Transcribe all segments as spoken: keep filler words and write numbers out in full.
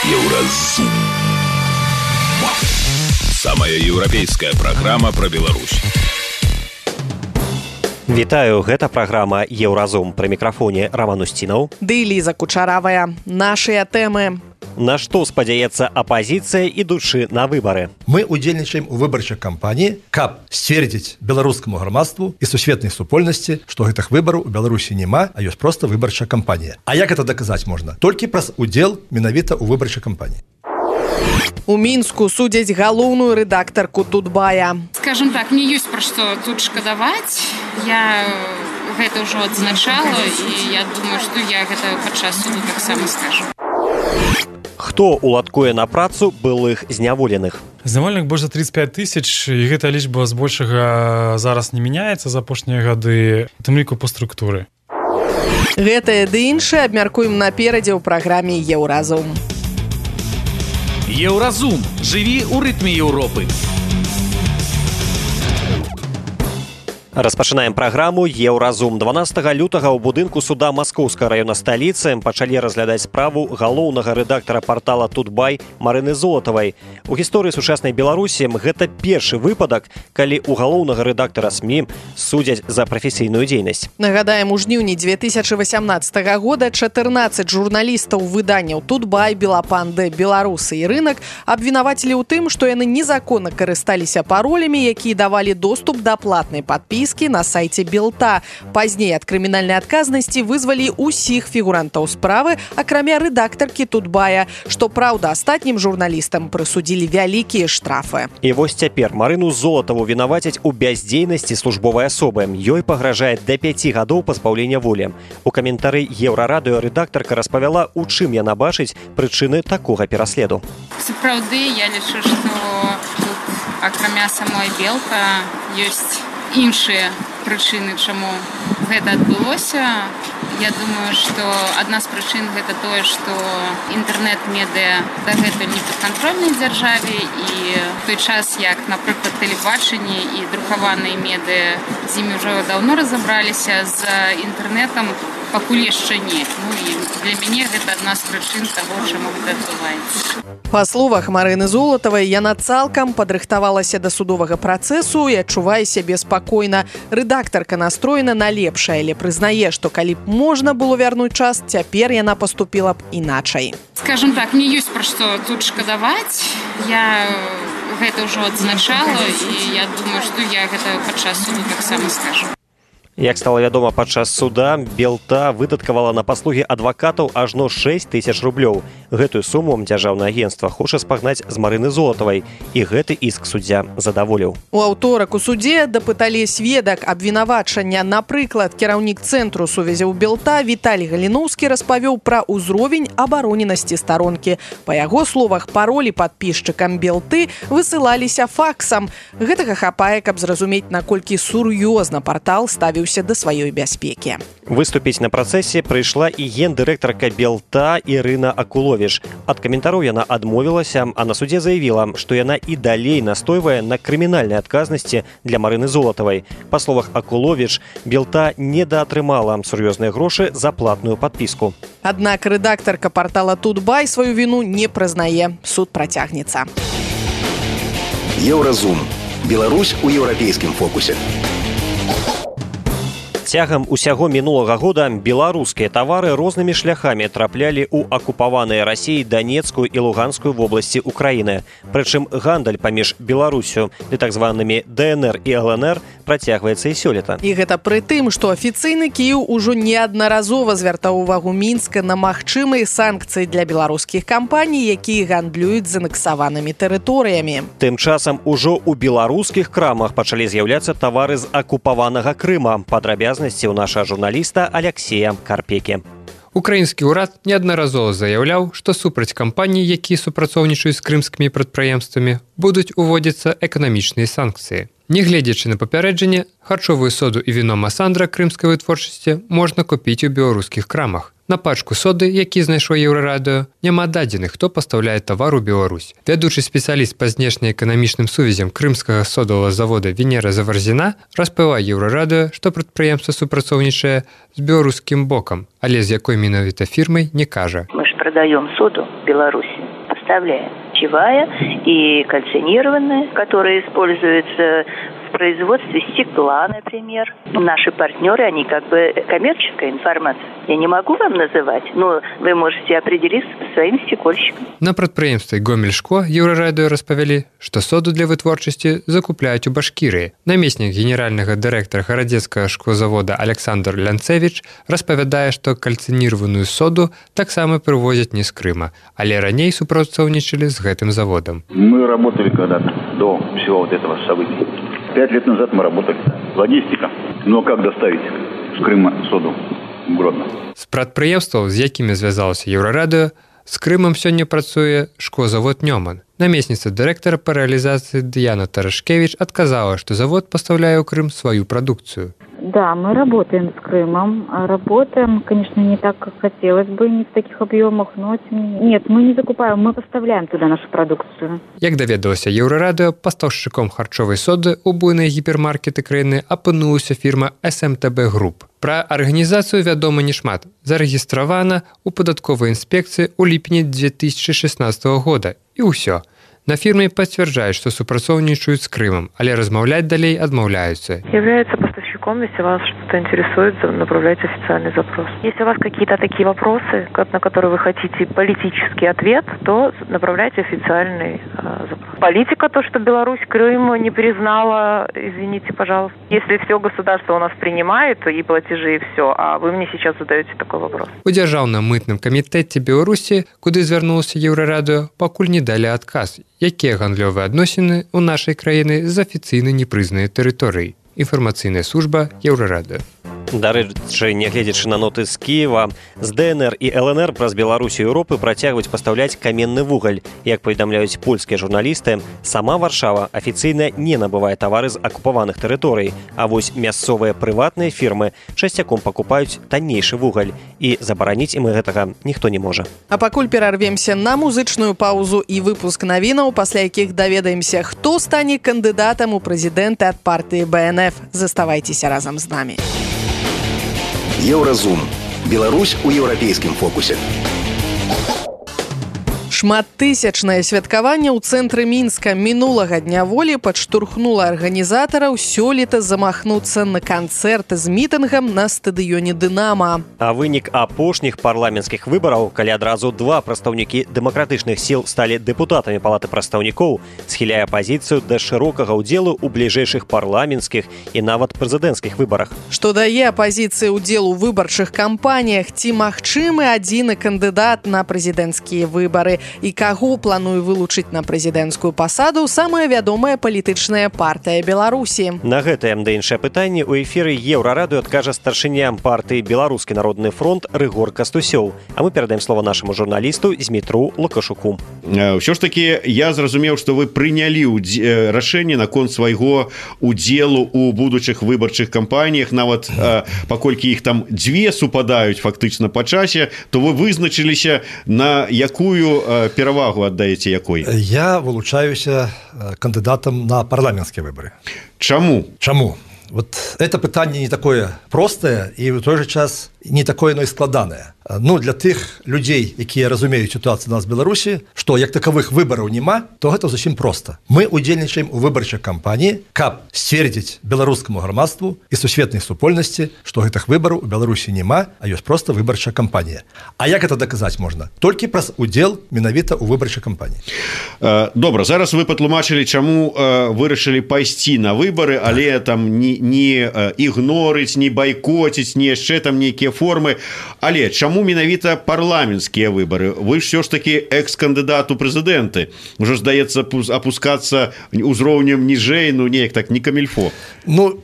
Еўразум. Самая еўрапейская праграма пра Беларусь. Вітаю, гэта праграма «Еўразум». Пры мікрафоне Роман Устінаў. Ды Ліза Кучаравая. Нашыя тэмы. На што спадзяецца апазіцыя, ідучы на выбары? Мы удзельнічаем у выбарчай кампаніі, каб сцвердзіць беларускаму грамадству і сусветнай супольнасці, што гэтых выбараў у Беларусі няма, а ёсць проста выбарчая кампанія. А як гэта даказаць можна? Толькі праз удзел менавіта ў выбарчай кампаніі. У Мінску судзяць галоўную рэдактарку Тутбая. Скажем так, мне ёсць пра што тут шкадаваць. Я гэта ўжо адзначала, і я думаю, што я гэта падчас суду таксама скажу. Хто уладкуе на працу былых зняволеных? Зняволеных больш за тридцать пять тысяч, і гэта лічба збольшага зараз не мяняецца за апошнія гады, у тым ліку па структуры. Гэтае ды іншае абмяркуем наперадзе ў праграме «Еўразум». Еўразум. Жыві ў рытме Еўропы. Распачынаем праграму «Еўразум». дванаццатага лютага ў будынку суда Маскоўскага раёна сталіцы пачалі разглядаць справу галоўнага рэдактара партала «Тутбай» Марыны Золатавай. У гісторыі сучаснай Беларусі гэта першы выпадак, калі ў галоўнага рэдактара СМІ судзяць за прафесійную дзейнасць. Нагадаем, у жніўні две тысячы васямнаццатага года чатырнаццаць журналістаў выданняў «Тутбай», «Белапанды», «Беларусы» і «Рынак» абвінавацілі ў тым, што яны незаконна карысталіся паролямі, якія давалі доступ да платнай падпіскі на сайце Белта. Пазней ад крымінальнай адказнасці вызвалі ўсіх фігурантаў справы, акрамя рэдактаркі Тутбая, што, праўда, астатнім журналістам прысудзілі вялікія штрафы. І вось цяпер Марыну Золатаву вінавацяць у бяздзейнасці службовай асобы. Ёй пагражае да пяці гадоў пазбаўлення волі. У каментары Еўрарадыё рэдактарка распавяла, у чым яна бачыць прычыны такога пераследу. Сапраўды, я лічу, што тут, акрамя самой Белта, ёсць іншыя прычыны, чаму гэта адбылося. Я думаю, што адна з прычын гэта тое, што інтэрнэт-медыа дагэтуль не падкантрольнай дзяржаве, і в той час, як, напрыклад, тэлебачанне і друкаваныя медыа з імі ўжо даўно разабраліся, з інтэрнэтам пакуль яшчэ не. Ну і для мяне гэта адна з прычын таго, чаму гэта адбываецца. Па словах Марыны Золатавай, яна цалкам падрыхтавалася да судовага працэсу і адчувае сябе спакойна. Рэдактарка настроена на лепшае, але прызнае, што калі б можна было вярнуць час, цяпер яна паступіла б іначай. Скажем так, мне ёсць пра што тут шкадаваць. Я гэта ўжо адзначала, і я думаю, што я гэта падчас суду таксама скажу. Як стала вядома, падчас суда Белта выдаткавала на паслугі адвакатаў ажно шэсць тысяч рублёў. Гэтую суму дзяржаўнае агенцтва хоча спагнаць з Марыны Золатавай, і гэты іск суддзя задаволіў. У аўторак у судзе дапыталі сведак абвінавачання. Напрыклад, кіраўнік цэнтру сувязяў Белта Віталій Галіноўскі распавёў пра ўзровень абароненасці старонкі. Па яго словах, паролі падпісчыкам Белты высылаліся факсам. Гэтага хапае, каб зразумець, наколькі сур'ёзна партал ставіў да сваёй бяспекі. Выступіць на працэсе прыйшла і гендырэктарка Белта Ірына Акуловіч. Ад каментароў яна адмовілася, а на судзе заявіла, што яна і далей настойвае на крымінальнай адказнасці для Марыны Золатавай. Па словах Акуловіч, Белта недаатрымала сур'ёзныя грошы за платную падпіску. Аднак рэдактарка партала Тутбай сваю віну не прызнае. Суд працягнецца. Еўразум. Беларусь у еўрапейскім фокусе. Цягам усяго мінулага года беларускія тавары рознымі шляхамі траплялі ў акупаваныя Расіяй Данецкую і Луганскую вобласці Украіны. Прычым гандаль паміж Беларусю і так званымі ДНР і ЛНР працягваецца і сёлета. І гэта пры тым, што афіцыйны Кіеў ужо неаднаразова звяртаў увагу Мінска на магчымыя санкцыі для беларускіх кампаній, якія гандлююць з анексаванымі тэрыторыямі. Тым часам ужо ў беларускіх крамах пачалі з'яўляцца тавары з акупаванага Крыма. Падрабязна у наша журналіста Алексея Карпекі. Украінскі ўрад неаднаразова заяўляў, што супраць кампаній, якія супрацоўнічаюць з крымскімі прадпрыемствамі, будуць уводзіцца эканамічныя санкцыі. Нягледзячы на папярэджанне, харчовую соду і віно Масандра крымскай вытворчасці можна купіць у беларускіх крамах. На пачку соды, які знайшло Еўрарадыё, няма дадзеных, хто пастаўляе тавар у Беларусь. Вядучы спецыяліст па знешне-эканамічным сувязям крымскага содавага завода Венера Заварзіна распавяла Еўрарадыё, што прадпрыемства супрацоўнічае з беларускім бокам, але з якой менавіта фірмай не кажа. Мы ж продаем соду в Беларуси, поставляем чаевая и кальцинированная, которая используется в производстве стекла, например. Наши партнеры, они как бы коммерческая информация. Я не могу вам называть, но вы можете определиться со своим стекольщиком. На прадпрыемстве Гомельшко Еўрарадыё распавялі, што соду для вытворчасці закупляюць у Башкірыі. Намеснік генеральнага дырэктара гарадзецкага шклозавода Александр Лянцевіч распавядае, што кальцинированную соду таксама прывозяць не з Крыма, але раней супрацоўнічалі з гэтым заводом. Мы работали когда-то до всего вот этого события. Пять лет назад мы работали. Логистика. Но как доставить с Крыма соду в Гродно? З прадпрыемстваў, з якімі звязалася Еўрарадыё, з Крымам сёння працуе шклозавод Нёман. Намесніца дырэктара па рэалізацыі Дыяна Тарашкевич адказала, што завод пастаўляе ў Крым сваю прадукцыю. Да, мы работаем с Крымом. Работаем, конечно, не так, как хотелось бы, не в таких объемах, но нет, мы не закупаем, мы поставляем туда нашу продукцию. Як даведалася Еўрарадыё, пастаўшчыком харчовай соды ў буйныя гіпермаркеты краіны апынулася фірма эс эм тэ бэ Group. Пра арганізацыю вядома не шмат. Зарэгістравана ў падатковай інспекцыі ў ліпені две тысячи шестнадцатого года. І ўсё. На фирме подтверждают, что супрацоўнічаюць с Крымом, але размаўляць далей адмаўляются. Является поставщиком, если вас что-то интересует, направляйте официальный запрос. Если у вас какие-то такие вопросы, на которые вы хотите политический ответ, то направляйте официальный э, запрос. Политика, то, что Беларусь Крым не признала, извините, пожалуйста. Если все государство у нас принимает, и платежи, и все, а вы мне сейчас задаете такой вопрос. У дзяржаўна-мытным камітэце Беларусі, куды звярнулася Еўрарадыё, пакуль не далі адказ, якія гандлёвыя адносіны ў нашай краіны з афіцыйна непрызнанай тэрыторыі. Інфармацыйная служба Еўрарадыё. Дарэчы, нягледзячы на ноты з Кіева, з дэ эн эр і эл эн эр праз Беларусі і Еўропы працягваюць пастаўляць каменны вугаль. Як паведамляюць польскія журналісты, сама Варшава афіцыйна не набывае тавары з акупаваных тэрыторый, а вось мясцовыя прыватныя фірмы часцяком пакупаюць таннейшы вугаль, і забараніць ім гэтага ніхто не можа. А пакуль перарвемся на музычную паузу і выпуск навінаў, пасля якіх даведаемся, хто стане кандыдатам у прэзідэнты ад партыі бэ эн эф. Заставайцеся разам з намі. Еўразум. Беларусь у еўрапейскім фокусе. Шматтысячнае святкаванне ў цэнтры Мінска мінулага дня волі падштурхнула арганізатараў сёлета замахнуцца на канцэрт з мітынгам на стадыёне «Дынама». А вынік апошніх парламенцкіх выбараў, калі адразу два прадстаўнікі дэмакратычных сіл сталі дэпутатамі палаты прадстаўнікоў, схіляе апазіцыю да шырокага ўдзелу ў бліжэйшых парламенцкіх і нават прэзідэнцкіх выбарах. Што дае апазіцыі ўдзел у выбарчых кампаніях, ці магчымы адзіны кандыдат на прэзідэнцкія выбары, і каго плануе вылучыць на прэзідэнцкую пасаду самая вядомая палітычная партыя Беларусі. На гэтае да іншае пытанне ў эфіры Еўрарадыё адкажа старшыня партыі Беларускі народны фронт Рыгор Кастусёў. А мы перадаем слова нашаму журналісту Змітру Лукашуку. Ўсё ж такі я зразумеў, што вы прынялі рашэнне наконт свайго удзелу ў будучых выбарчых кампаніях, нават паколькі іх там дзве супадаюць фактычна па часе, то вы вызначыліся на якую перавагу аддаеце якой? Я вылучаюся кандыдатам на парламенцкія выборы. Чаму? Чаму? Вот это пытанне не такое простае і ў той же час не такое, но і складанае. Ну, для тых людзей, якія разумеюць сітуацыю у нас в Беларусі, што як такавых выбараў няма, то гэта зусім проста. Мы удзельнічаем у выбарчай кампаніі, каб сцвердзіць беларускаму грамадству і сусветнай супольнасці, што гэтых выбараў у Беларусі няма, а ёсць проста выбарчая кампанія. А як гэта даказаць можна? Толькі праз удзел менавіта ў выбарчай кампаніі. Добра, зараз вы патлумачылі, чаму вырашылі пайсці на выбары, але там не, не ігнорыць, не байкоціць, не яшчэ там нейкія формы. Але чаму менавіта парламенцкія выбары? Вы ж все ж таки экс-кандыдат у прэзідэнты. Ужо здаецца апускацца узроўнем ніжэй, ну неяк так не камільфо. Ну,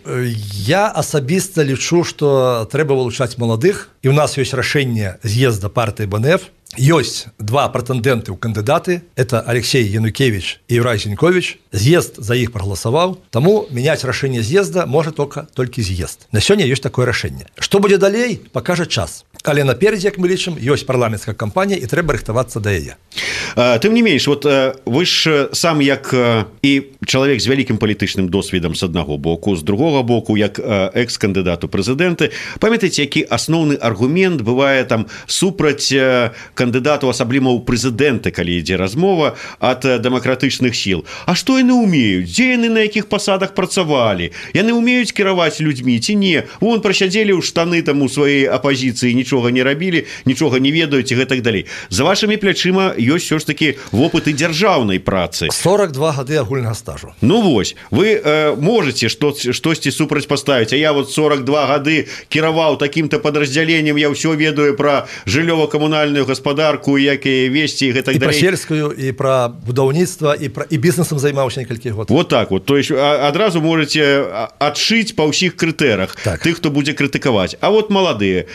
я асабіста лічу, што трэба вылучаць маладых, і ў нас ёсць рашэнне з'езда партыі бэ эн эф. Ёсць два прэтэндэнты ў кандыдаты, это Алексей Янукевич і Юрай Зінькович. З'езд за іх прагаласаваў, таму мяняць рашэнне з'езда можа только толькі з'езд. На сёння ёсць такое рашэнне. Што будзе далей, пакажа час. Але наперадзе, як мы лічым, ёсць парламенцкая кампанія і трэба рыхтавацца да яе. Тым не менш, вот вы ж сам як і чалавек з вялікім палітычным досведам з аднаго боку, з другога боку, як экс-кандыдат у прэзідэнты, памятаеце, які асноўны аргумент бывае там супраць кандыдату, асабліва ў прэзідэнты, калі ідзе размова ад дэмакратычных сіл. А што яны ўмеюць? Дзе яны на якіх пасадах працавалі? Яны ўмеюць кіраваць людзьмі ці не? Вон прасядзелі ў штаны там у сваёй апазіцыі, нічога не рабілі, нічога не ведаюць і гэтак далей. За вашымі плячыма ёсць ўсё ж такі вопыт і дзяржаўнай працы. сорок два гады агульнага стажу. Ну вось, вы э, можете што, штосьці супрацьпаставіць, а я вот сорок два гады кіраваў такім-то падраздзяленнем, я ўсё ведаю пра жыллёва-камунальную гаспадарку, як і весці і гэтак далей. І пра сельскую, і пра будаўніцтва, і, пра, і бізнесам займаўся некалькі год. Вот так вот, то есть адразу можете адшыць па ўсіх крытэрах так. Тых, хто будзе крытыкаваць. А вот маладыя,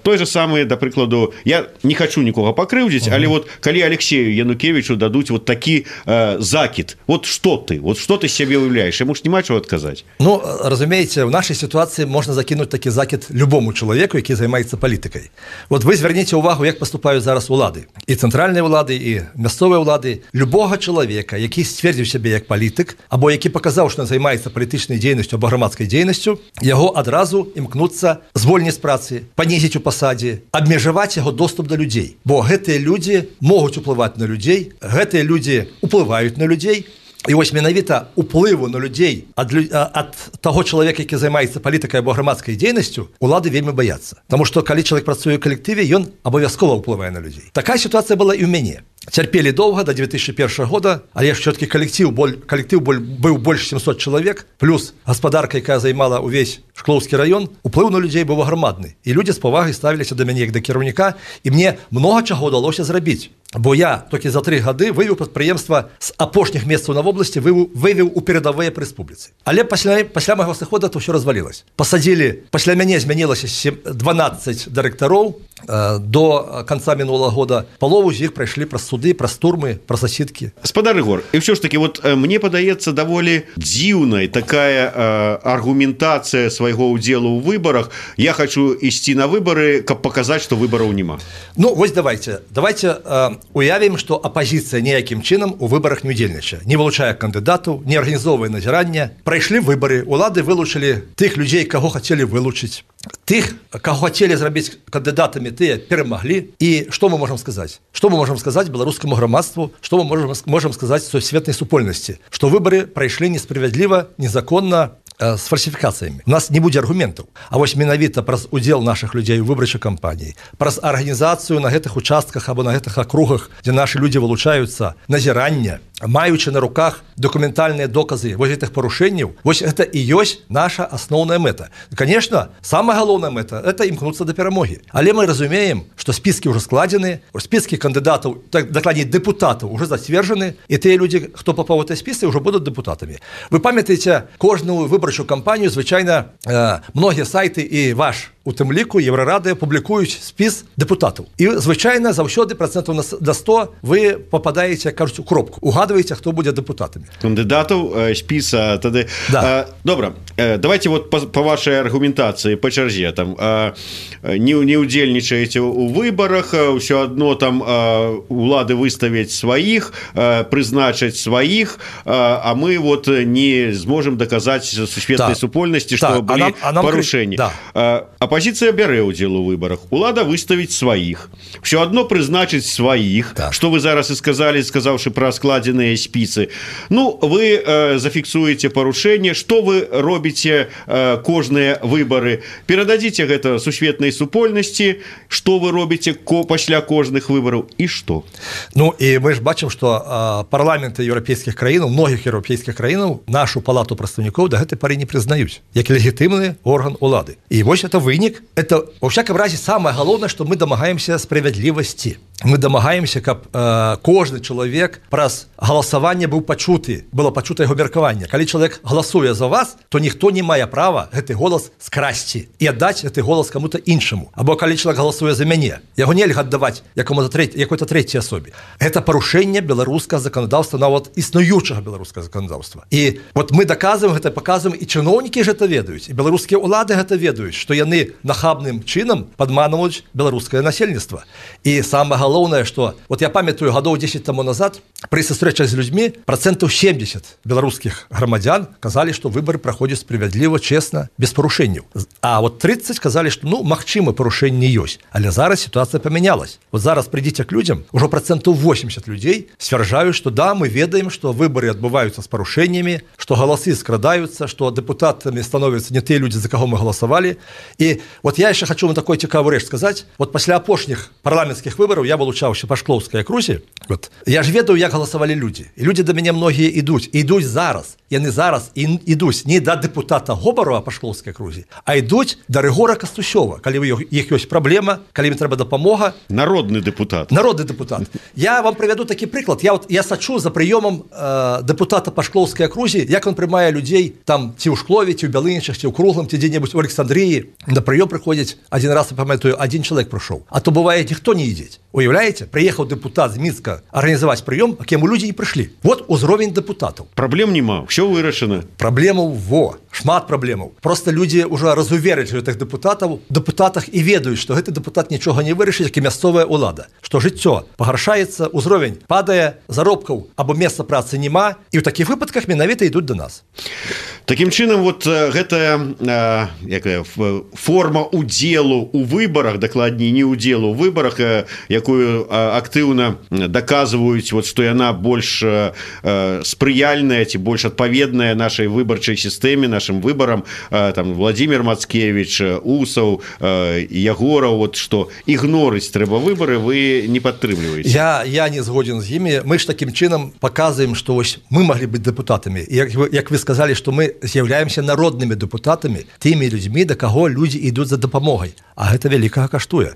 той же самы, да прыкладу, я не хочу нікога пакрыўдзіць, угу. Але вот калі Алексею Янукевичу дадуць вот такі э, закид, вот что ты, вот что ты себе уявляешь, ему ж нема чего отказать. Ну, разумеете, в нашей ситуации можно закинуть такі закид любому человеку, який займаецца палітыкай. Вот вы зверніце увагу, як поступаюць зараз улады. І цэнтральныя улады, і мясцовыя улады. Любога чалавека, які сцвердзіў сябе як палітык, або які паказаў, што займаецца палітычнай дзейнасцю або грамадскай дзейнасцю, яго адразу імкнуцца звольніць з працы, панізіць у пасадзе, абмежаваць яго доступ да людзей. Бо гэтыя людзі могуць уплываць на людзей, гэтыя людзі уплываюць на людзей, і вось менавіта уплыву на людзей ад, ад таго чалавека, які займаецца палітыкай або грамадскай дзейнасцю, улады вельмі баяцца. Таму што калі чалавек працуе ў калектыве, ён абавязкова ўплывае на людзей. Такая сітуацыя была і ў мяне. Цярпелі доўга да две тысячи першага года, але ўсё-таки калектыў, калектыў быў больш сямсот чалавек, плюс гаспадарка, якая займала ўвесь Шклоўскі раён, уплыў на людзей быў аграмадны. І людзі з павагай ставіліся да мяне як да кіраўніка, і мне многа чаго ўдалося зрабіць. Бо я толькі за тры гады вывеў прадпрыемства з апошніх месцаў на вобласці, вывеў у перадавыя па рэспубліцы. Але пасля, пасля майго сыхода то ўсё развалілася. Пасадзілі, пасля мяне змянілася дванаццаць дырэктароў, до конца мінулага года. Палову з іх прайшлі праз суды, праз турмы, праз засідкі. Спадар Ігор, і ўсё ж таки, вот мне падаецца даволі дзіўнай такая э, аргументацыя свайго ўдзелу ў выбарах. Я хочу ісці на выбары, каб паказаць, што выбараў няма. Ну, вось давайте. Давайте э, уявім, што апазіцыя ніякім чынам у выбарах не удзельнічае. Не вылучае кандыдатаў, не арганізоўвае назірання. Прайшлі выбары, улады вылучылі тых людзей, каго хацелі вылучыць. Тых, каго хацелі зрабіць кандыдатамі, тыя перамаглі. І што мы можам сказаць? Што мы можам сказаць беларускаму грамадству? Што мы можам, можам сказаць сусветнай супольнасці? Што выбары прайшлі несправядліва, незаконна, з фальсіфікацыямі. У нас не будзе аргументаў. А вось менавіта праз удзел нашых людзей у выбарчай кампаніі, праз арганізацыю на гэтых участках або на гэтых акругах, дзе нашы людзі вылучаюцца, назірання, маючы на руках дакументальныя доказы вось гэтых парушэнняў, вось гэта і ёсць наша асноўная мэта. Конечно, самая галоўная мэта – это імкнуцца да перамогі. Але мы разумеем, што спіскі ўжо складзены, спіскі кандыдатаў, так, дакладней дэпутатаў уже зацверджаны, і тыя людзі, хто папаў у гэтыя спісы, ўжо будуць дэпутатамі. Вы памятаеце, кожную выбарчую кампанію звычайна э, многія сайты і ваш у тым ліку Еўрарадыя публікуюць спіс дэпутатаў. І звычайна заўсёды працэнтаў да сто вы попадаеце, кажуць, у кропку. Угадваеце, хто будзе дэпутатамі. Кандыдатаў, спіса тады. Да. А, добра, давайте вот по, по вашай аргументацыі па чарзе там а, не, не удзельнічаеце у выбарах, ўсё адно там а, улады выставяць сваіх, а, прызначаць сваіх, а, а мы вот не зможам даказаць сусветнай да. супольнасці, што да. былі а нам, а парушэнні. Да. А, апозіцыя бярэ ўдзел у выбарах, улада выставіць сваіх, ўсё адно прызначыць сваіх, так. Што вы зараз і сказалі, сказаўшы пра складзеныя спісы. Ну, вы э, зафіксуеце парушэнне, што вы робіце э, кожныя выбары, перададзіце гэта сусветнай супольнасці, што вы робіце ко, пасля кожных выбараў і што? Ну, і мы ж бачым, што э, парламенты еўрапейскіх краінаў, многіх еўрапейскіх краінаў нашу палату прадстаўнікоў да гэтай пары не прызнаюць, як легітымны орган улады. І вось это вынік, это, во всяком разе, самае галоўнае, што мы дамагаемся справядлівасці. мы дамагаемся, каб э, кожны чалавек праз галасаванне быў пачуты, было пачута яго меркаванне. Калі чалавек галасуе за вас, то ніхто не мае права гэты голас скрасці і аддаць гэты голас каму-то іншаму. Або калі чалавек галасуе за мяне, яго нельга аддаваць якому-то трэць, якой-то трэцяй асобе. Гэта парушэнне беларускага заканадаўства, нават існуючага беларускага заканадаўства. І вот мы даказваем гэта, паказваем, і чыноўнікі ж гэта ведаюць, і беларускія ўлады гэта ведаюць, што яны нахабным чынам падманваюць беларускае насельніцтва. І самае галоўнае, што вот я памятаю гадоў дзесяць таму назад пры сустрэчах з людзьмі працэнтаў семьдесят беларускіх грамадзян казалі, што выбары праходзяць справядліва, чесна, без парушэнняў. А вот тридцать казалі, што ну магчыма парушэнні ёсць, але зараз сітуацыя памянялась. Вот зараз прыйдзіце к людзям, ужо працэнтаў восемьдесят людзей сцвярджаюць, што да, мы ведаем, што выбары адбываюцца з парушэннямі, што галасы скрадаюцца, што дэпутатамі становяцца не тыя людзі, за каго мы галасавалі. І вот я яшчэ хочу вам такой цікавую рэч сказаць. Вот пасля апошніх парламенцкіх выбараў я вылучаўся па Шклоўскай акрузе. Вот я ж ведаю, як галасавалі людзі. І людзі да мяне многія ідуць, ідуць зараз. Яны зараз і ідуць не да дэпутата Гобарова па Шклоўскай акрузе, а ідуць да Рыгора Кастусёва, калі у іх ёсць праблема, калі ім трэба дапамога. Народны дэпутат. Народны дэпутат. Я вам прывяду такі прыклад. Я вот я сачу за прыёмам э, дэпутата па Шклоўскай акрузе, як ён прымае людзей там ці ў Шклове, ці ў Бялынічах, ці ў Круглым, ці дзе-небудзь у Александрыі. На прыём прыходзіць адзін раз, я памятаю, адзін чалавек прыйшоў. А то бывае, ніхто не ідзе. Уяўляеце, прыехаў дэпутат з Мінска арганізаваць прыём, а к яму людзі не прыйшлі. Вот узровень дэпутатаў. Праблем няма, ўсё вырашана. Праблемаў во, шмат праблемаў. Просто людзі ўжо разуверылі гэтых дэпутатаў, дэпутатах і ведаюць, што гэты дэпутат нічога не вырашыць, як і мясцовая ўлада. Што жыццё пагаршаецца, узровень падае, заробкаў або месца працы няма, і ў такіх выпадках менавіта ідуць да нас. Такім чынам, вот гэтая якая форма удзелу ў выбарах, дакладней не удзелу ў выбарах, якую актыўна даказваюць, вот, што яна больш спрыяльная ці больш адпаведная нашай выбарчай сістэме, нашым выбарам, там Владимир Мацкевич, Усаў, Ягораў, вот, што ігнорыць трэба выбары, вы не падтрымліваеце. Я, я не згоден з імі. Мы ж такім чынам паказваем, што вось мы маглі быць дэпутатамі. Як вы, як вы сказалі, што мы з'яўляемся народнымі дэпутатамі, тымі людзьмі, да каго людзі ідуць за дапамогай. А гэта вялікага каштуе.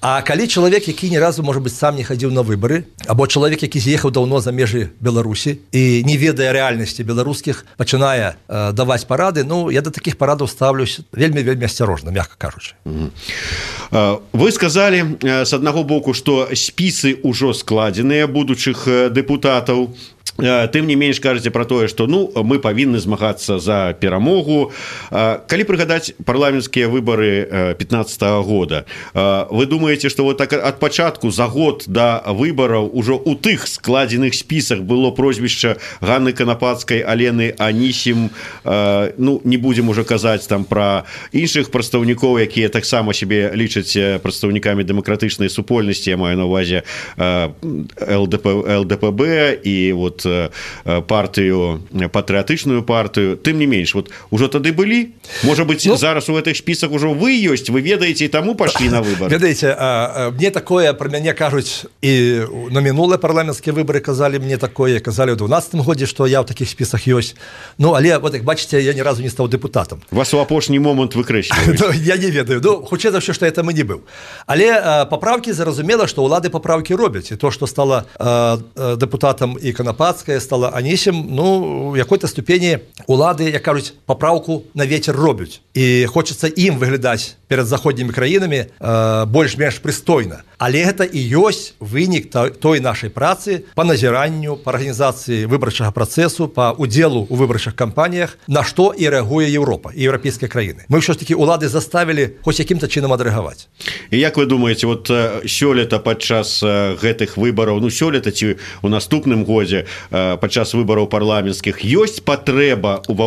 А калі чалавек, які ні разу, можа быць, сам не хадзіў на выбары, або чалавек, які з'ехаў даўно за межы Беларусі і не ведае рэальнасці беларускіх, пачынае э, даваць парады, ну, я да такіх парадаў ставлюсь вельмі-вельмі асцярожна, мякка кажучы. Mm-hmm. Вы сказалі, з аднаго боку, што спісы ўжо складзеныя будучых дэпутатаў. Тым не менш кажаце пра тое, што ну мы павінны змагацца за перамогу. Калі прыгадаць парламенцкія выбары пятнаццатага года, вы думаеце, што вот так ад пачатку за год да выбараў ужо ў тых складзеных спісах было прозвішча Ганны Канапацкай, Алены Анісім, ну не будзем ужо казаць там пра іншых прадстаўнікоў, якія таксама сябе лічаць прадстаўнікамі дэмакратычнай супольнасці, я маю на ўвазе эл дэ пэ бэ і вот партыю, патрыятычную партыю. Тым не менш, вот ужо тады былі? Можа быць, ну, зараз у гэтых спісах ужо вы ёсць, вы ведаеце, і таму пашлі на выбары. Ведаеце, а, мне такое пра мяне кажуць і на мінулыя парламенцкія выбары казалі мне такое, казалі ў дванаццатым годзе, што я ў такіх спісах ёсць. Ну, але, вот як бачыце, я ні разу не стаў дэпутатам. Вас у апошні момант выкрэсліваюць. Ну, я не ведаю. Ну, хутчэй за ўсё, што это мы не быў. Але а, папраўкі, зразумела, што ўлады папраўкі робяць. І то, што стала а, а, дэпутатам і Канапацкая, стала Анісім, ну, у якой-то ступені улады, як кажуць, папраўку на вецер робяць. І хочацца ім выглядаць перад заходнімі краінамі э, больш-менш прыстойна. Але гэта і ёсць вынік той нашай працы па назіранню, па арганізацыі выбарчага працэсу, па удзелу ў выбарчых кампаніях, на што і рэагуе Еўропа і еўрапейскія краіны. Мы ўсё ж такі улады заставілі хоць якім-то чынам адрэагаваць. І як вы думаеце, вот сёлета падчас гэтых выбараў, ну сёлета ці ў наступным годзе падчас выбараў парламенцкіх ёсць патрэба ва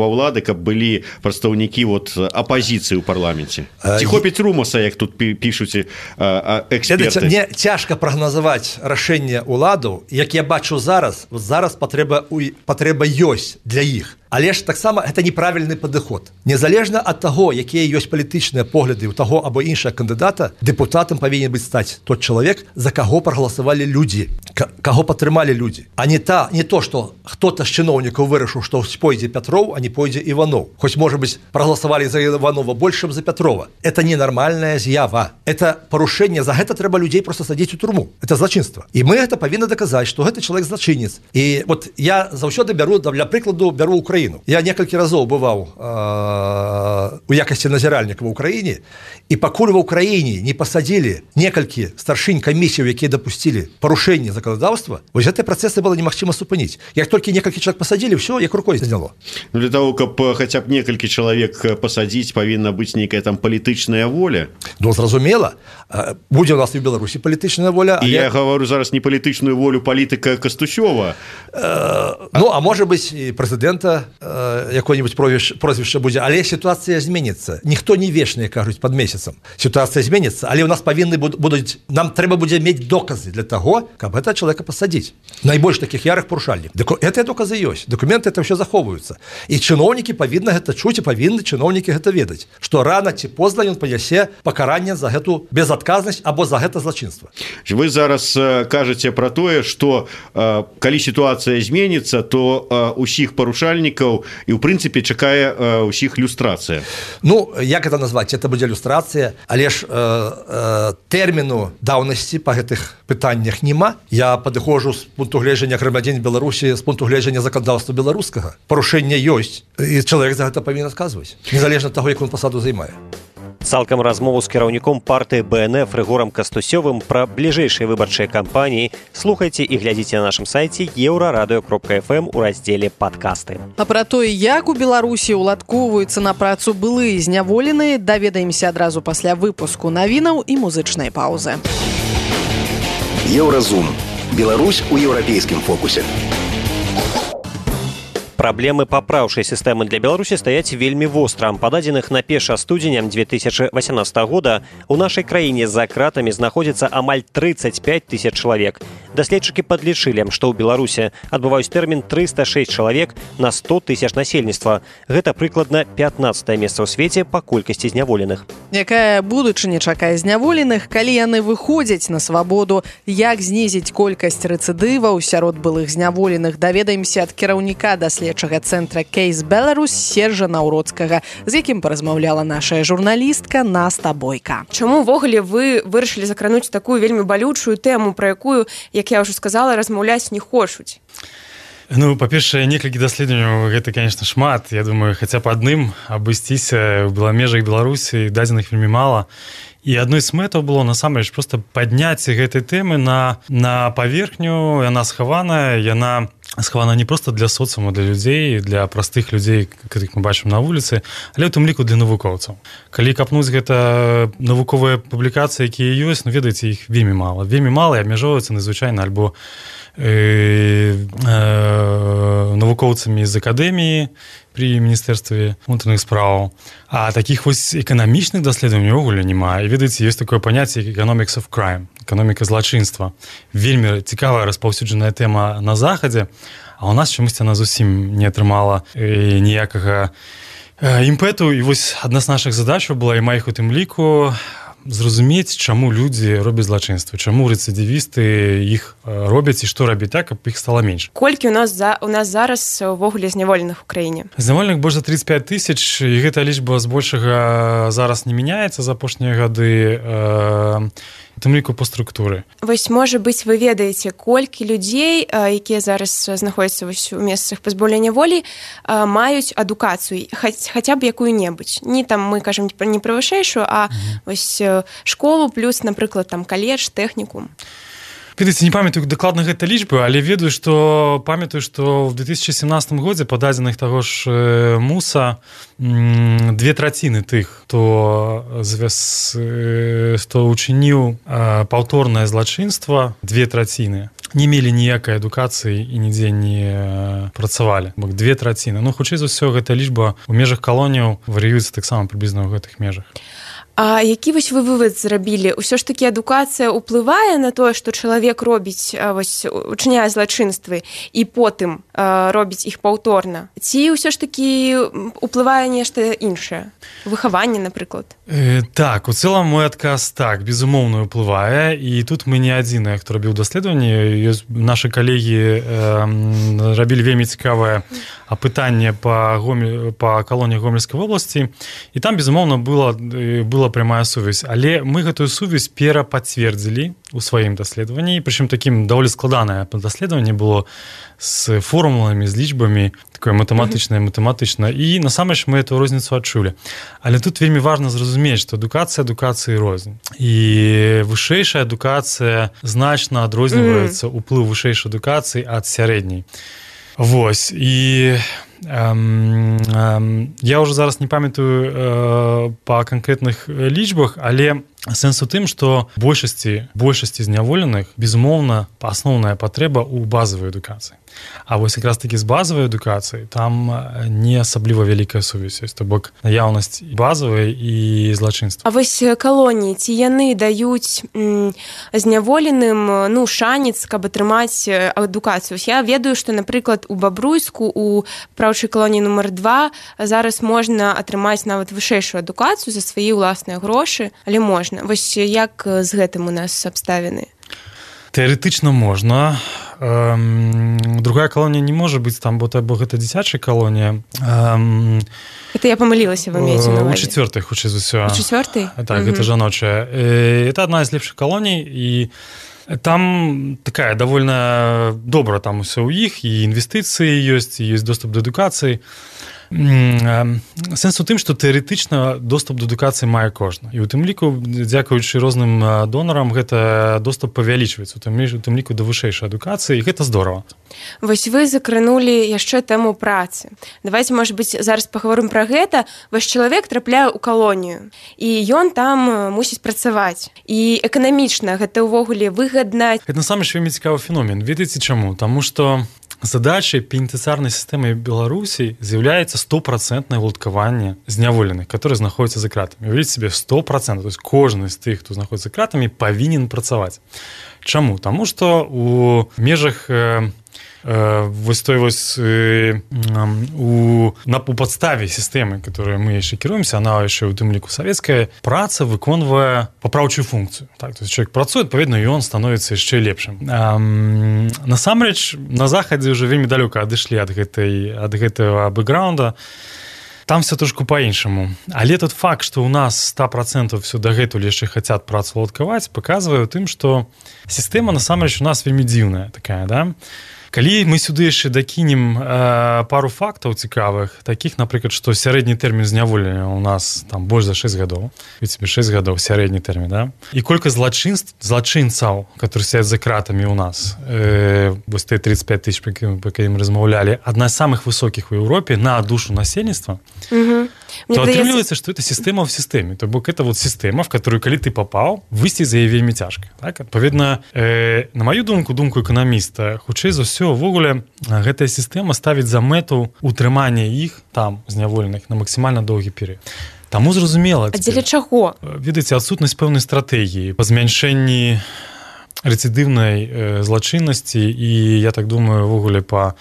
ўлады, каб былі прадстаўнікі вот апазіцыі ў парламенце? Ці хопіць румаса, як тут пішуць эксперты? Мне цяжка прагназаваць рашэнне ўладаў, як я бачу зараз, зараз патрэба, патрэба ёсць для іх. Але ж таксама гэта неправільны падыход. Незалежна ад таго, якія ёсць палітычныя погляды ў таго або іншага кандыдата, дэпутатам павінен быць стаць тот чалавек, за каго прагаласавалі людзі, каго падтрымалі людзі. А не та, не то, што хто-то з чыноўнікаў вырашыў, што пойдзе Пятроў, а не пойдзе Іванов. Хоць, можа быць, прагаласавалі за Іванова больш, чым за Пятрова. Это ненармальная з'ява. Это парушэнне, за гэта трэба людзей проста садзіць у турму. Это злачынства. І мы гэта павінны даказаць, што гэты чалавек злачынец. І вот я заўсёды бяру, для прыкладу, бяру Украіну. Я некалькі разоў бываў э, у якасці назіральніка ва ўкраіне, і пакуль ва ўкраіне не пасадзілі некалькі старшынь камісіяў, якія дапусцілі парушэнне заканадаўства, вось гэтыя працэсы было немагчыма супыніць. Як толькі некалькі чалавек пасадзілі, ўсё, як рукой зняло. Ну, для того, каб хаця б некалькі чалавек пасадзіць, павінна быць нейкая там палітычная воля. Ну, зразумела. Будзе у нас і ў Беларусі палітычная воля. І але... я гавару зараз не палітычную волю палітыка Кастусёва. Э, ну, а можа быць і прэзідэнта э, якое-нибудь прозвішча будзе, але сітуацыя зменіцца. Ніхто не вечны, кажуць, пад месяцам. Сітуацыя зменіцца, але ў нас павінны будуць, нам трэба будзе мець доказы для таго, каб гэта чалавека пасадзіць. Найбольш такіх ярых парушальнікаў. Гэтыя доказы ёсць. Дакументы это ўсё захоўваюцца. І чыноўнікі павінны гэта чуць, і павінны чыноўнікі гэта ведаць, што рана ці позна ён панясе пакаранне за гэту безадказнасць або за гэта злачынства. Вы зараз кажаце пра тое, што э, калі сітуацыя зменіцца, то э, усіх парушальнікаў і ў прынцыпе чакае э, усіх люстрацыя. Ну, як гэта назваць? Это будзе люстрацыя, але ж э, э, тэрміну даўнасці па гэтых пытаннях няма. Я падыходжу з пункту гледжання грамадзян Беларусі, з пункту гледжання заканадаўства беларускага. Парушэнне ёсць, і чалавек за гэта павінен адказваць, незалежна ад таго, як ён пасаду займае. Цалкам размову з кіраўніком партыі бэ эн эф Рыгорам Кастусёвым пра бліжэйшыя выбарчыя кампаніі слухайце і глядзіце на нашым сайце еўрарадыё кропка эф эм у раздзеле «Падкасты». А пра тое, як у Беларусі ўладкоўваюцца на працу былыя зняволеныя, даведаемся адразу пасля выпуску навінаў і музычнай паўзы. Еўразум. Беларусь у еўрапейскім фокусе. Праблемы папраўчай сістэмы для Беларусі стаяць вельмі востра. Па дадзеных на першае студзеня дзве тысячы васямнаццатага года у нашай краіне за кратамі знаходзіцца амаль трыццаць пяць тысяч чалавек. Даследчыкі падлічылі, што ў Беларусі адбываюць тэрмін трыста шэсць чалавек на сто тысяч насельніцтва. Гэта прыкладна пятнаццатае месца ў свеце па колькасці зняволеных. Якая будучыня чакае зняволеных, калі яны выходзяць на свабоду, як знізіць колькасць рэцыдываў сярод былых зняволеных, даведаемся ад кіраўніка даследчага цэнтра Кейс Беларусь Сержа Наўроцкага, з якім паразмаўляла нашая журналістка Наста Бойка. Чаму ўвогуле вы вырашылі закрануць такую вельмі балючую тэму, пра якую, як я ўжо сказала, размаўляць не хочуць? Ну, па-першае, некалькі даследаванняў гэта, конечно, шмат. Я думаю, хаця б адным абысціся ў межах Беларусі дадзеных вельмі мала. І адной з мэтаў было, насамрэч, проста падняць гэтай тэмы на, на паверхню. Яна схаваная, яна схавана не проста для соцыума, для людзей, для простых людзей, якіх мы бачым на вуліцы, але ў тым ліку для навукоўцаў. Калі капнуць гэта навуковыя публікацыі, якія ёсць, ну, ведаеце, іх вельмі мала. Вельмі мала і абмяжоўваюцца надзвычайна альбо э, э, навукоўцамі з акадэміі при міністэрстве унутраных справаў. А такіх вось эканамічных даследаванняў увогуле няма. І ведаеце, ёсць такое паняцце economics of crime, эканоміка злачынства. Вельмі цікавая распаўсюджаная тэма на захадзе, а ў нас чамусьці она зусім не атрымала э, ніякага э, імпэту. І вось адна з нашых задачаў была, і маіх у тым ліку, зразумець, чаму людзі робяць злачынства, чаму рэцыдывісты іх робяць і што рабіць так, каб іх стала менш. Колькі у нас за у нас зараз увогуле зняволеных у краіне? Зняволеных больш за трыццаць пяць тысяч, і гэта лічба збольшага зараз не мяняецца за апошнія гады, э, у тым ліку па структуры. Вось, можа быць, вы ведаеце, колькі людзей, якія зараз знаходзяцца вось у месцах пазбаўлення волі, маюць адукацыю, хаця б якую-небудзь. Не там мы кажам не пра вышэйшую, а mm-hmm. вось школу плюс, напрыклад, там каледж, тэхнікум. Ведаеце, не памятаю дакладна гэта лічбы, але ведаю, што памятаю, што ў две тысячы сямнаццатым годзе па дадзеных таго ж МУСа две траціны тых, хто хто учыніў паўторнае злачынства, две траціны не мелі ніякай адукацыі і нідзе не працавалі. Бо две траціны. Ну, хутчэй за ўсё, гэта лічба ў межах калоніяў варыюецца таксама прыблізна ў гэтых межах. А які вось вы вывод зрабілі? Усё ж такі адукацыя ўплывае на тое, што чалавек робіць, вось, учыняе злачынствы і потым э, робіць іх паўторна? Ці ўсё ж такі ўплывае нешта іншае? Выхаванне, напрыклад? Э, так, у цэлым мой адказ так, безумоўна ўплывае. І тут мы не адзіныя, хто рабіў даследаванні. Нашы калегі э, рабілі вельмі цікавае апытанне па, Гомель, па калоніях Гомельскай вобласці. І там, безумоўна, была, была прямая сувязь. Але мы гэтую сувязь перапацвердзілі у сваім даследаванні. Прычым такім даволі складанае даследаванне было з формуламі, з лічбамі, такое матэматычнае, матэматычна. І насамрэч мы эту розніцу адчулі. Але тут вельмі важна зразумець, што адукацыя адукацыі рознь. І вышэйшая адукацыя значна адрозніваецца ўплыў вышэйшай адукацыі ад сярэдняй. Вось. І эм, эм, я ўжо зараз не памятаю э, па канкрэтных лічбах, але сэнс у тым, што большасці, большасці зняволеных, безумоўна, асноўная патрэба ў базавай адукацыі. А вось якраз такі з базавай адукацыі там не асабліва вялікая сувязь, то бок наяўнасць базавай і злачынства. А вось калоніі, ці яны даюць м, зняволеным ну, шанец, каб атрымаць адукацыю? Я ведаю, што, напрыклад, у Бабруйску, у праўчай калоніі нумар два зараз можна атрымаць нават вышэйшую адукацыю за свае ўласныя грошы, але можна. Вось як з гэтым у нас абставіны? Тэарэтычна можна. Эм, другая калонія не можа быць там, бо, бо гэта дзіцячая калонія. Эм, это я памылілася, вы маеце на У ўвазе? чацвёртай, хутчэй за ўсё. У чацвёртай? Так, угу. Гэта жаночая. Это адна з лепшых калоній, і там такая давольна добра там усё ў іх, і інвестыцыі ёсць, і ёсць доступ да адукацыі. Сэнс у тым, што тэарэтычна доступ да адукацыі мае кожны. І ў тым ліку, дзякуючы розным донарам, гэта доступ павялічваецца, у тым, у тым ліку да вышэйшай адукацыі, і гэта здорава. Вось вы закранулі яшчэ тэму працы. Давайте, можа быць, зараз паговорым пра гэта. Ваш чалавек трапляе ў калонію, і ён там мусіць працаваць. І эканамічна гэта ўвогуле выгадна. Гэта насамрэч вельмі цікавы феномен. Ведаеце чаму? Таму што задачай пенітэнцыярнай сістэмы Беларусі з'яўляецца стопроцентнае ўладкаванне зняволеных, которые знаходзяцца за кратамі. Уявіце себе, сто процентов, то есть кожны з тых, хто знаходзіцца за кратамі, павінен працаваць. Чаму? Таму што у межах э, э, вось той вось э, у, на, у падставе сістэмы, которой мы яшчэ кіруемся, она яшчэ у тым ліку савецкая, праца выконвае папраўчую функцыю. Так, то есть человек працуе, адпаведна, і ён становіцца яшчэ лепшым. Эм, насамрэч, на захадзе ўжо вельмі далёка адышлі ад гэтай, ад гэтага бэкграунда. Там все трошку по-іншаму. Але тот факт, што ў нас сто процентов все дагэтуль яшчэ хацяць працу уладкаваць, паказвае ў тым, што сістэма насамрэч у нас вельмі дзіўная такая, да? Калі мы сюды яшчэ дакінем э, пару фактаў цікавых, такіх, напрыклад, што сярэдні тэрмін зняволення ў нас там больш за шэсць гадоў, ведь шэсць гадоў сярэдні тэрмін, да? І колькасць злачынств, злачынцаў, которые сядзяць за кратамі ў нас, э, вось тэ тридцать пять тысяч, па якім размаўлялі, адна з самых высокіх у Еўропе на душу насельніцтва, угу. то атрымліваецца, што это сістэма ў сістэме. То бок это вот сістэма, в которую, калі ты папаў, выйсці з яе вельмі цяжка. Так? Адпаведна, э, на маю думку, думку эканаміста, хутчэй за ўсё, увогуле, гэтая сістэма ставіць за мэту утрымання іх, там, зняволеных, на максімальна доўгі перыяд. Таму зразумела. А дзеля чаго? Ведаеце, адсутнасць пэўнай стратэгіі па змяншэнні рэцыдыўнай э, злачыннасці і, я так думаю, увогуле па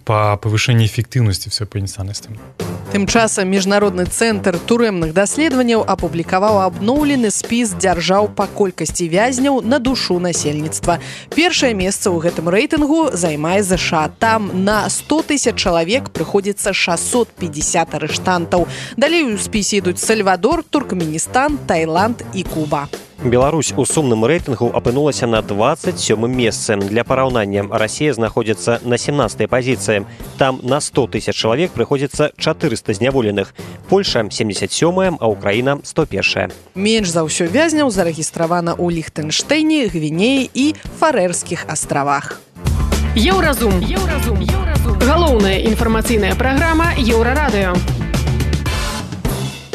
па павышэнні эфектыўнасці ўсёй пенітэнцыярнай сістэмы. Тым часам міжнародны цэнтр турэмных даследаванняў апублікаваў абноўлены спіс дзяржаў па колькасці вязняў на душу насельніцтва. Першае месца ў гэтым рэйтынгу займае ЗША. Там на сто тысяч чалавек прыходзіцца шестьсот пятьдесят арыштантаў. Далей у спісе ідуць Сальвадор, Туркменістан, Таіланд і Куба. Беларусь у сумным рэйтынгу апынулася на двадцать сёмым месцы. Для параўнання, Расія знаходзіцца на семнадцатай пазіцыі. Там на сто тысяч чалавек прыходзіцца чатырыста зняволеных. Польша семьдесят сёмая, а Украіна сто первая. Менш за ўсё вязняў зарэгістравана ў Ліхтэнштэйне, Гвінеі і Фарэрскіх астравах. Еўразум. Еўразум. Еўразум. Галоўная інфармацыйная праграма Еўрарадыё.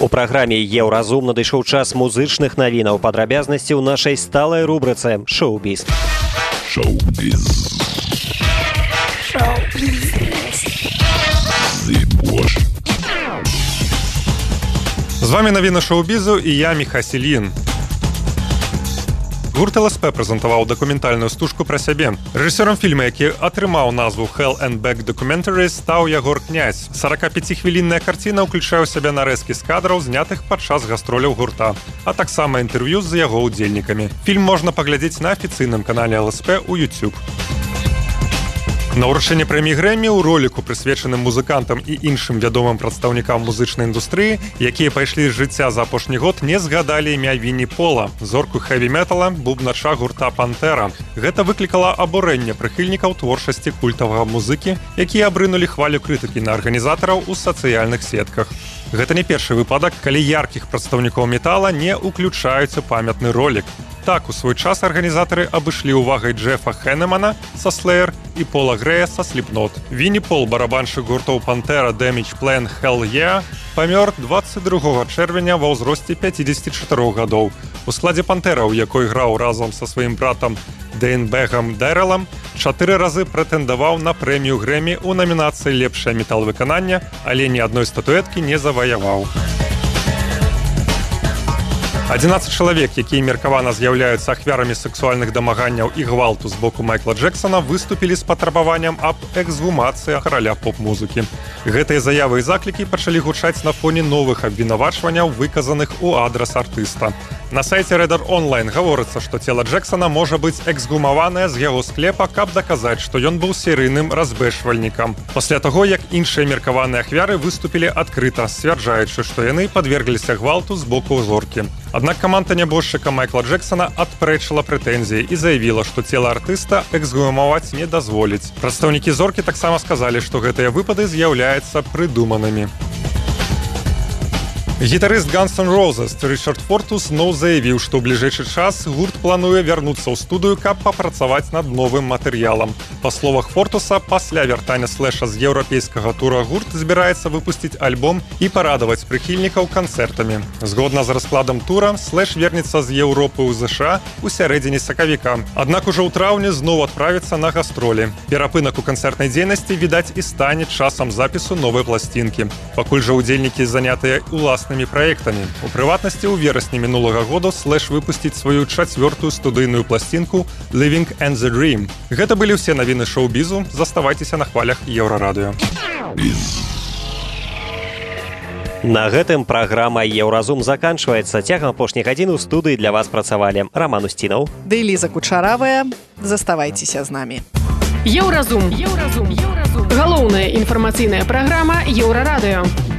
У праграме «Еўразум» надышоў час музычных навінаў. Падрабязнасці ў нашай сталай рубрыцы «Шоу-біз». Шоу-біз. Шоу-біз. З З вами навіна шоу-бізу і я, Міха Сільін. Гурт эл эс пэ прэзентаваў дакументальную стужку пра сябе. Рэжысёрам фільма, які атрымаў назву Hell and Back Documentaries, стаў Ягор Князь. сорокапяцихвілінная карціна ўключае ў сябе нарэзкі з кадраў, знятых падчас гастроляў гурта, а таксама інтэрв'ю з яго ўдзельнікамі. Фільм можна паглядзець на афіцыйным канале эл эс пэ ў YouTube. На ўручэнне прэміі Грэмі ў роліку, прысвечаным музыкантам і іншым вядомым прадстаўнікам музычнай індустрыі, якія пайшлі з жыцця за апошні год, не згадалі імя Вінні Пола, зорку хэві-метала, бубнача гурта «Пантэра». Гэта выклікала абурэнне прыхільнікаў творчасці культавага музыкі, якія абрынулі хвалю крытыкі на арганізатараў у сацыяльных сетках. Гэта не першы выпадак, калі яркіх прадстаўнікоў метала не ўключаюць у памятны ролік. Так, у свой час арганізатары абышлі ўвагай Джефа Хенемана са Slayer і Пола Грэя са Slipknot. Вінні Пол, барабаншчык гуртоў «Пантэра», «Damage Plan», «Hell Yeah», памёр дваццаць другога чэрвеня ва ўзросце пяцідзесяці чатырох гадоў. У складзе «Пантэра», у якой граў разам са сваім братам Дэйнбэгам Дэрэлам, чатыры разы прэтэндаваў на прэмію Грэмі ў намінацыі «Лепшае метал-выкананне», але ні адной статуэткі не заваяваў. адзінаццаць чалавек, якія меркавана з'яўляюцца ахвярамі сексуальных дамаганняў і гвалту з боку Майкла Джексона, выступілі з патрабаваннем аб эксгумацыі караля поп-музыкі. Гэтыя заявы і заклікі пачалі гучаць на фоне новых абвінавачванняў, выказаных у адрас артыста. На сайце Рэдар Онлайн гаворыцца, што цела Джексона можа быць эксгумаванае з яго склепа, каб даказаць, што ён быў серыйным разбэшвальнікам. Пасля таго, як іншыя меркаваныя ахвяры выступілі адкрыта, сцвярджаючы, што яны падвергліся гвалту з боку зоркі. Аднак каманда нябожчыка Майкла Джексона адпрэчыла прэтэнзіі і заявіла, што цела артыста эксгумаваць не дазволіць. Прадстаўнікі зоркі таксама сказалі, што гэтыя выпады з'яўляюцца прыдуманымі. Гітарыст Guns N' Roses Ричард Фортус зноў заявіў, што ў бліжэйшы час гурт плануе вярнуцца ў студыю, каб папрацаваць над новым матэрыялам. Па словах Фортуса, пасля вяртання Слэша з еўрапейскага тура гурт збіраецца выпусціць альбом і парадаваць прыхільнікаў канцэртамі. Згодна з раскладам тура, Слэш вернецца з Еўропы ў ЗША ў сярэдзіне сакавіка. Аднак ужо ў траўні зноў адправіцца на гастролі. Перапынак у канцэртнай дзейнасці, відаць, і стане часам запісу новай пласцінкі. Пакуль жа ўдзельнікі занятыя ўласнымі праектамі. У прыватнасці, у верасні мінулага году Слэш выпусціць сваю чацвёртую студыйную пласцінку «Living and the Dream». Гэта былі ўсе навіны шоу-бізу. Заставайцеся на хвалях Еўрарадыё. На гэтым праграма «Еўразум» заканчваецца. Цягам апошніх гадзін у студыі для вас працавалі Раман Устінаў ды Ліза Кучаравая. Заставайцеся з намі. Еўразум. Еўразум. Галоўная інфармацыйная праграма Еўрарадыё.